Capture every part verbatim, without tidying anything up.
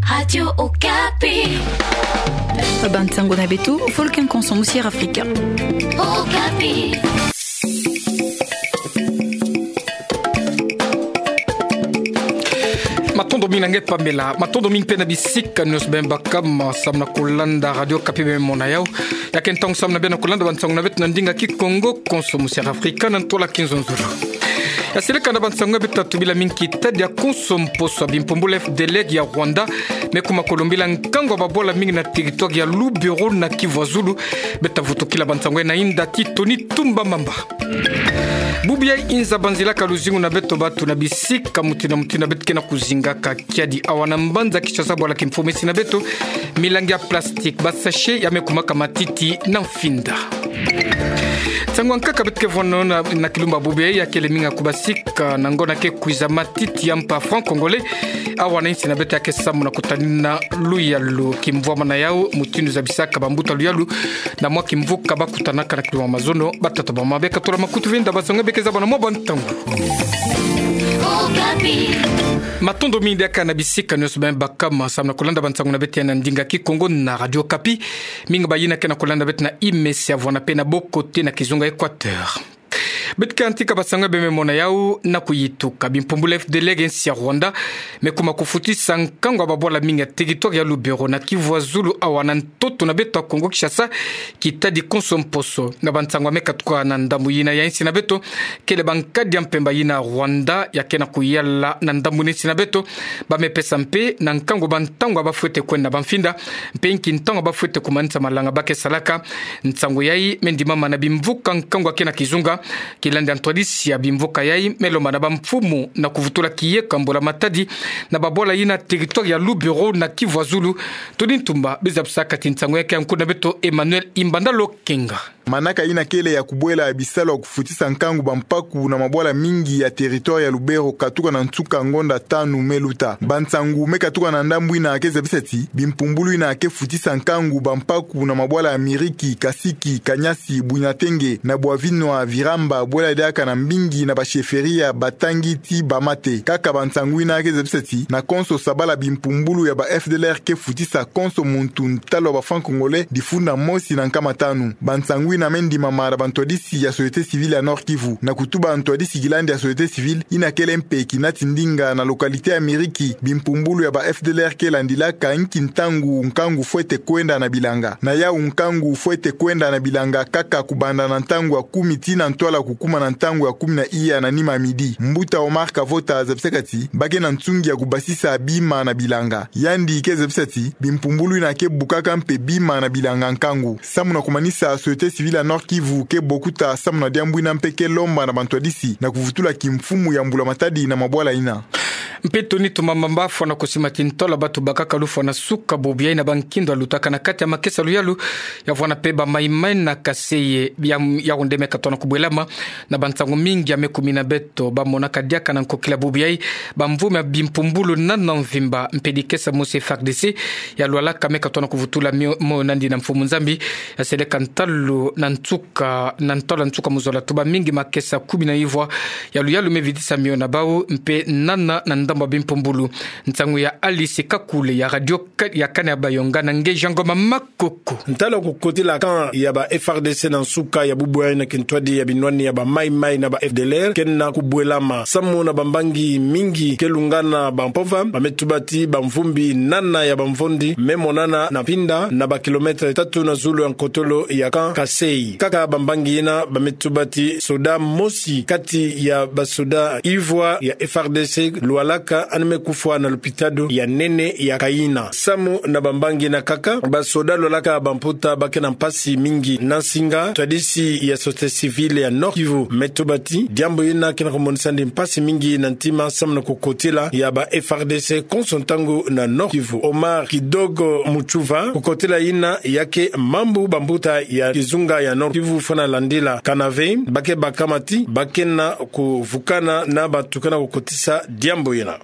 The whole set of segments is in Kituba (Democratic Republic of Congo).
Radio Okapi. Bansango na beto, Volcan Conso Musière Afrika. Okapi. Matondo mingi na nge Pamela, matondo mingi mpe na bisika nyonso bima baka ma samu na kolanda Radio Okapi bima mona yau. Ya ke ntangu samu na bia na kolanda bansango na beto na ndinga Kikongo, Conso Musière Afrika, na ntwala Kinzonzolo. Ya seleka na bansango ya beto, tobila mingi tadi ya konso mposo ya bimpumbulu F D L R ya Rwanda me kuma kolombila nkangu ya babwala mingi na territoire ya Lubero na Kivu ya Zulu. Beto vutukila bansango ya na inda ti Tony Tumba Mamba. Bubu ya inza banzila ka luzingu na beto bantu na bisika mutindu na mutindu beto ke na kuzingaka kiadi awa na mbanza Kinshasa, bwala kimfumu esi na beto, milangi ya plastique, ba sachet ya me kumaka matiti na mfinda. Nsangu ya nkaka beto ke vwanda na, na kilumbu bubu ya kele mingi ya kubasika na ngonda ke kwiza, matiti ya mpa franc congolais awa na insi na beto ya ke samu na kutanina luyalu. Kimvwama na yau, mutindu zabisaka bambuta luyalu na mwa kimvuka bakutanaka na kilumbu mazono, batata bamama beka tula makutu venda bansango beka zaba na mwa bantangu. Matondo mingi diaka na bisika nyonso bima baka ma samu na kolanda bansango na beto ya na ndinga Kikongo na Radio Okapi. Mingi bayina ke na kolanda beto na imesi ya vwanda mpe na bokote na kizunga Equateur. Beto ke yantika bansango ya bima mona yau na kuyituka. Bimpumbulu F D L R ya insi ya Rwanda me kuma kufutisa nkangu ya babwala mingi ya territoire ya Lubero na Kivu ya Zulu awa na ntoto na beto ya Kongo Kinshasa, kitadi konso mposo. Na bansango ya me katuka na ndambu yina ya insi na beto, kele bankadi ya mpemba yina Rwanda ya ke na kuyala na ndambu na insi na beto, ba me pesa mpe na nkangu bantangu ya bafwete kwenda na bamfinda, mpe nki ntangu ya bafwete kumanisa malanga ba ke salaka. Nsangu yayi me ndimama na bimvuka nkangu ya ke na kizunga. Kilandi ya ntwadisi ya bimvuka yayi me lomba na bamfumu na kuvutula kieko ya mbula matadi na babwala yina territoire ya Lubero na Kivu ya Zulu. Tony Tumba beza busaka ti nsangu ya ke ya nkundi na beto Emmanuel Imbanda Lokenga. Manaka yina kele ya kubwela bisalu ya kufutisa nkangu bampaku na mabwala mingi ya territoire ya Lubero katuka na nsuka ngonda tanu me luta. Bansangu me katuka na ndambu yina ke zabisa ti bimpumbulu yina ke futisa nkangu bampaku na mabwala ya Miriki, Kasiki, Kanyasi, Bwinatenge, na Bwavinwa, Viramba, bwela diaka na mbingi na ba chefferie ya Batangi ti Bamate. Kaka bansangu yina ke zabisa ti na konso sabala bimpumbulu ya ba F D L R ke futisa konso muntu ntalu ya ba franc congolais difunda mosi na nkama tanu. Bansangu yina me ndimama na bantwadisi ya société civile ya Nord-Kivu. Na kutuba ntwadisi kilandi ya société civile, yina kele mpe kinati ndinga na localité ya Miriki, bimpumbulu ya ba F D L R ke landilaka nki ntangu nkangu fwete kwenda na bilanga. Na yau nkangu fwete kwenda na bilanga kaka kubanda na ntangu ya kumi tii na ntwala kukuma na ntangu ya kumi na iya na nima ya midi. Mbuta Omar Kavota zabisaka ti ba ke na nsungi ya kubasisa bima na bilanga. Yandi ke zabisa ti bimpumbulu yina ke bukaka mpe bima na bilanga nkangu. Samu na kumanisa, société civile ya Nord-Kivu ke bokuta samu na diambu yina mpe ke lomba na bantwadisi na kuvutula kimfumu ya mbula matadi na mabwala yina. Mpe Tony Tumba Mamba, fwana kusima ti ntola bantu bakaka lufwa na suka bubu yayi na bankindo ya lutaka na kati ya makesa luyalu, ya vwanda mpe ba mayi-mayi na Kasaï, ya, Yaoundé me katona kubwelama na bansangu mingi ya me kumina beto. Ba monaka diaka na nkokila bubu yayi bamvumi ya bimpumbulu nana mvimba, mpe dikesa mosi F A R D C ya Lualaka me katona kuvutula mio-, moyo nandi na mfumu Nzambi. Ya seleka ntalu na nsuka, na ntalu na nsuka mu zola, tuba mingi makesa kumi na ivwa ya luyalu me vidisa mio na bau, mpe nana na ndambu ya bimpumbulu. Nsangu ya Alice Kakule ya radio ka-, ya Kane ya Bayonga na nge Jean Ngoma Makoko. Ntalu kukotila camp ya ba F A R D C na nsuka ya bubu yayi na kintwadi ya binwani ya ba mayi-mayi na ba F D L R ke na kubwelama. Samu na bambangi mingi ke lungana bampova, ba me tuba ti bamvumbi nana ya bamvondi me monana na Pinda, na ba kilomètre tatu na zulu ya nkotolo ya camp Kasaï. Kaka bambangi yina ba me tuba ti soda mosi kati ya basoda ivwa ya F A R D C Lualaka, yandi me kufwa na lopitalo ya nene ya Kaina. Samu na bambangi yina kaka, basoda Lualaka bamputa ba ke na mpasi mingi. Na nsinga, ntwadisi ya société civile ya Nord-Kivu me tuba ti diambu yina ke na kumonisa yandi mpasi mingi na ntima samu na kukotila ya ba F A R D C konso ntangu na Nord-Kivu. Omar Kidogo Mutuva, kukotila yina ya ke mambu bambuta ya kizunga ya Nord-Kivu fwana landila kanave, ba ke bakama ti ba ke na kuvukana na batukana kukotisa diambu yina.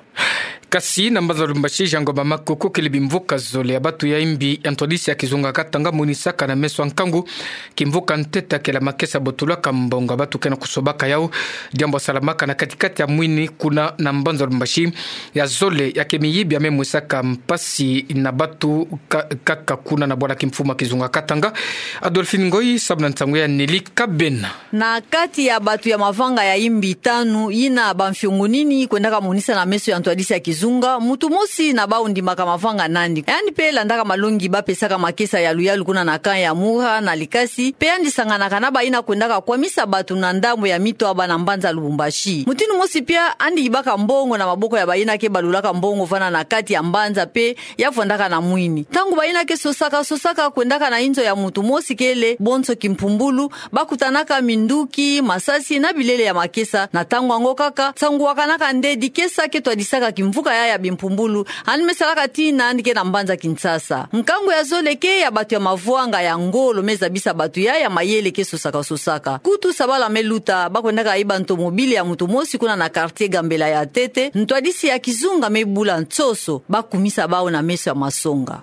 Kasi na mbanza Lubumbashi, Jean Ngoma Makoko, kele bimvuka zole ya batu ya imbi ya ntwadisi ya kizunga katanga monisaka na meso ya nkangu kimvuka ntete kele makesa botulaka mbongo ya batu ke na kusobaka yau. Diambu ya salamaka na kati-kati ya mwini kuna na mbanza Lubumbashi. Ya zole ya ke miyibi ya me mwisaka mpasi na batu ka-, kaka kuna na bwala kimfumu ya kizunga katanga. Adolphine Ngoyi samu na nsangu ya Nelly Kabena. Na kati ya batu ya mavanga ya imbi tanu, yina bamfiongonini kwendaka monisa na meso ya ntwadisi ya kizunga, mutu mosi na bau ndimaka mavanga nandi. Yandi pe landaka malongi bapesaka makesa ya luyalu kuna na camp ya Muha na Likasi, pe yandi sanganaka na bayina kwendaka kwamisa batu na ndambu ya Mitwaba na mbanza Lubumbashi. Mutindu mosi pia, yandi yibaka mbongo na maboko ya bayina ke balulaka mbongo vwanda na kati ya mbanza pe ya vwandaka na mwini. Ntangu bayina ke sosaka, sosaka kwendaka na inzo ya mutu mosi kele bonso kimpumbulu, bakutanaka minduki, masasi na bilele ya makesa. Na ntangu yango kaka, nsangu wakanaka nde dikesa ke twadisaka kimvuka yai ya bimpumbulu, yandi me salaka tii na yandi ke na mbanza Kinshasa. Nkangu ya zole ke ya batu ya mavwanga ya ngolo me zabisa batu yai ya mayele ke sosaka-sosaka. Kutu sabala me luta, bakwendaka yiba ntomobile ya mutu mosi kuna na quartier Gambela ya ntete, ntwadisi ya kizunga me bula nsoso, bakumisa bau na meso ya masonga.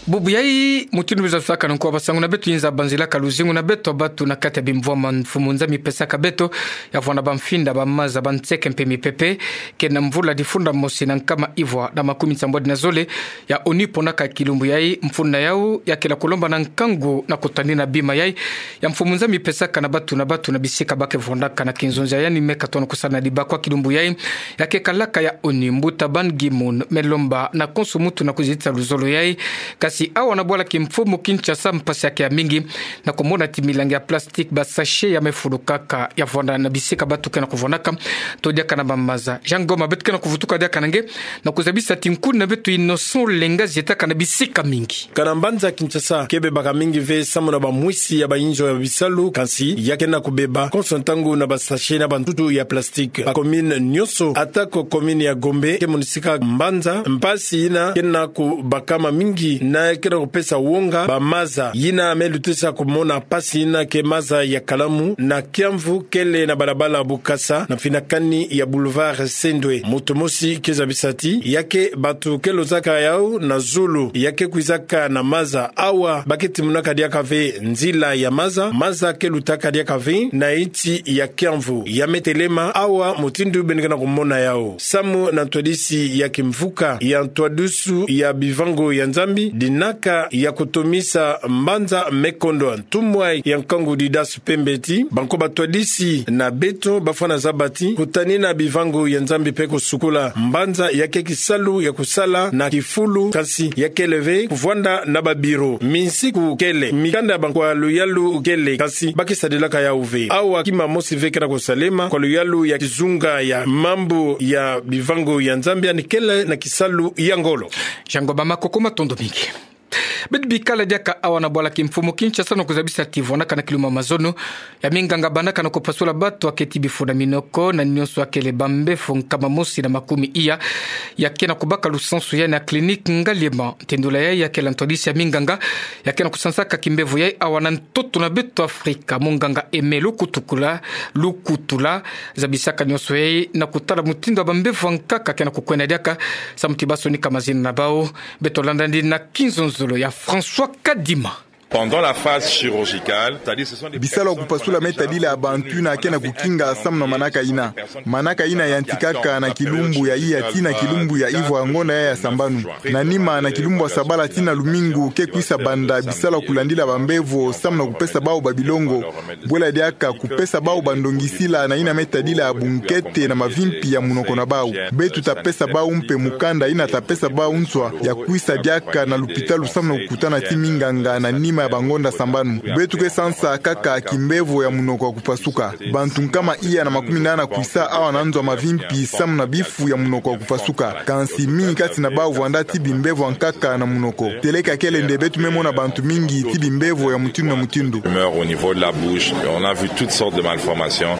Bubu yai, mutindu biza tusaka na nko ya basangu na beto, yinza banzilaka luzingu na beto batu na kati ya bimvwama Mfumu Nzambi pesaka beto, ya vwanda bamfinda, bamaza, banseke mpe mipepe, ke na mvula difunda mosi na nkama ivwa na makumi nsambwadi na zole ya ONU ponaka kilumbu yai. Mfunu yau ya kele kulomba na nkangu na kutanina bima yai ya Mfumu Nzambi pesaka na batu na batu na bisika ba ke vwandaka na kinzonzi ya yandi me katono kusala na dibakwa. Kilumbu yai ya ke kalaka ya ONU, mbuta Ban Ki-moon me lomba na konso muntu na kuzitisa luzolo yai. Kasi awa na bwala kimfumu Kinshasa, mpasi ya ke ya mingi na kumona ti milangi ya plastique, ba sachet ya me fulukaka, ya vwanda na bisika batu ke na kuvwandaka, to diaka na bamaza. Jean Ngoma, beto ke na kuvutuka diaka na nge, na kuzabisa ti nkuna beto Innocent Lenga zietaka na bisika mingi. Kana mbanza Kinshasa ke bebaka mingi ve samu na bamwisi ya bayinzo ya bisalu, kasi ya ke na kubeba konso ntangu na ba sachet na bantutu ya plastique. Ba commune nyonso, ata ko commune ya Gombe, ke monisika mbanza mpasi yina ke na kubakama mingi na ke na kupesa wonga bamaza yina me lutisa kumona mpasi yina ke maza ya Kalamu na Kiamvu kele na balabala Bukasa na mfinakani ya boulevard Sendwe. Moto mosi ke zabisa ti ya ke batu ke lozaka yau na zulu, ya ke kwizaka na maza. Awa ba ke timonaka diaka ve nzila ya maza, maza ke lutaka diaka ve na insi ya Kiamvu. Ya me telema awa mutindu beno ke na kumona yau. Samu na ntwadisi ya kimvuka ya ntwadusu ya bivango ya Nzambi, dinaka ya kutomisa mbanza me kondwa. Ntumwa ya nkangu Didas Pembe ti banko batwadisi na beto bafwana zaba ti kutanina bivango ya Nzambi pe kusukula mbanza ya ke kisalu ya kusala na kifulu, kasi ya kele ve kuvwanda na ba bureau. Minsiku kele, mikanda ya banko ya luyalu kele, kasi ba ke sadilaka yau ve. Awa kima mosi ve ke na kusalema kwa luyalu ya kizunga ya mambu ya bivango ya Nzambi, yandi kele na kisalu ya ngolo. Jean Ngoma Makoko, matondo mingi. Beto bikala diaka awa na bwala kimfumu Kinshasa na kuzabisa ti vwandaka na kilumbu ya mazono ya minganga bandaka na kupasula batu ya keti bifu na minoko na nyonso ya kele bambevo nkama mosi na makumi iya ya ke na kubaka lusansu yai na clinique Ngaliema. Ntendula yai ya kele ntwadisi ya minganga ya ke na kusansaka kimbevo yai awa na ntoto na beto Afrika, munganga Aimé Lukutukula, Lukutula, zabisaka nyonso yai na kutala mutindu ya bambevo ya nkaka ke na kukwenda diaka, samu ti ba sonika mazina na bau. Beto landa ndi na kinzonzolo ya François Kadima. Pendant la phase chirurgicale, c'est-à-dire ce sont des... Bisalu ya kupasula me tadila bantu yina ke na kukinga samu na manaka yina. Manaka yina yantikaka na kilumbu ya iya tii na kilumbu ya ivwa ya ngonda yai ya sambanu. Na nima, na kilumbu ya sabala tii na lumingu, ke kwisa banda bisalu ya kulandila bambevo samu na kupesa bau babilongo. Bwela diaka kupesa bau bandongisila na yina me tadila bunkete na mavimpi ya munoko na bau. Beto ta pesa bau mpe mukanda yina ta pesa bau nswa ya kwisa diaka na lupitalu samu na kukutana ti minganga na nima ya bangonda sambanu. Beto ke sansa kaka kimbevo ya munoko ya kupasuka. Bantu nkama iya na makumi nana kwisa awa na nzo ya mavimpi samu na bifu ya munoko ya kupasuka. Kansi mingi kati na bau vwanda ti bimbevo ya nkaka na munoko. Teleka kele nde beto me mona bantu mingi ti bimbevo ya mutindu na mutindu. Tumeur au niveau de la bouche. On a vu toutes sortes de malformations.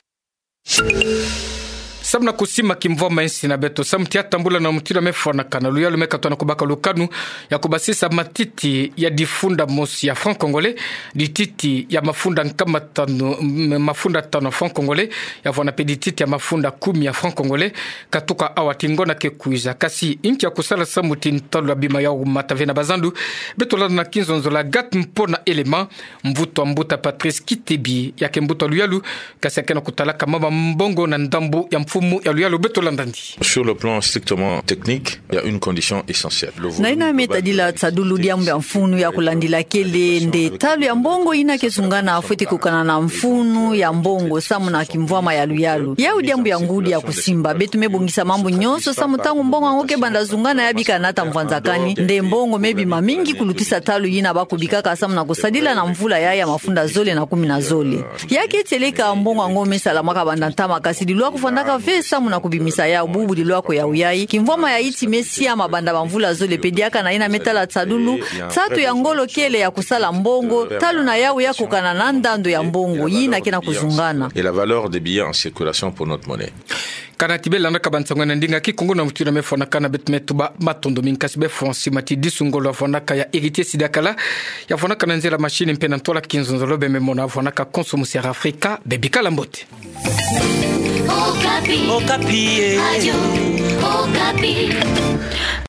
Samu na kusima kimvwama insi na beto, samu tia tambula na mutindu mefwanakana luyalu mekatona kubaka lukanu ya kubasisa matiti ya difunda mosi ya franc congolais, dititi ya mafunda nkama tanu, m-, mafunda tanu ya franc congolais, ya vwanape dititi ya mafunda kumi ya franc congolais, katuka awa ti ngonda ke kwiza. Kasi, inki ya kusala samu ti ntalu ya bima ya umata ve na bazandu? Beto landa na kinzonzolo ya Agathe Mpona Elema, mvutu a mbuta Patrice Kitebi, ya ke mbuta luyalu, kasi ya ke na kutalaka mama mbongo na ndambu ya mfumu ya luyalu. Beto landa ndi. Sur le plan strictement technique, il y a une condition essentielle. Na ina me tadila tsadulu diambu ya mfunu ya kulandila kele nde talu ya mbongo ina ke zungana fwete kukana na mfunu ya mbongo samu na kimvwama ya luyalu. Yau diambu ya ngudi ya kusimba. Beto mebongisa mambu nyonso samu ntangu mbongo yango ke banda zungana ya bikana ata mvwanzakani, nde mbongo mebima mingi kulutisa talu yina bakubikaka samu na kusadila na mvula ya ya mafunda zole na kumi na zole. Ya ke tieleka mbongo yango mesalamaka banda ntama, kasi dilwa kufwandaka ve samu na kubimisa yau, bubu dilwa kwe yau yai. Kimvwama ya iti mesiama banda bamvula zole pe diaka na ina me tala tsadulu, nsatu ya ngolo kele ya kusala mbongo, talu na yau ya kukana na ndando ya mbongo yina ke na kuzungana. Et la valeur des billets en circulation pour notre monnaie. Kana ti belandaka bansango na ndinga Kikongo na mutindu mefwanakana, beto metuba matondo mingi, kasi befwa nsi mati disu ngolo ya vwanaka ya Héritier Sidakala, ya vwanaka na nzela machine mpe na ntwala kinzonzolo, bememona vwanaka konso musi ya Afrika, bebikala mbote. Okapi. Okapi, eh. Radio Okapi.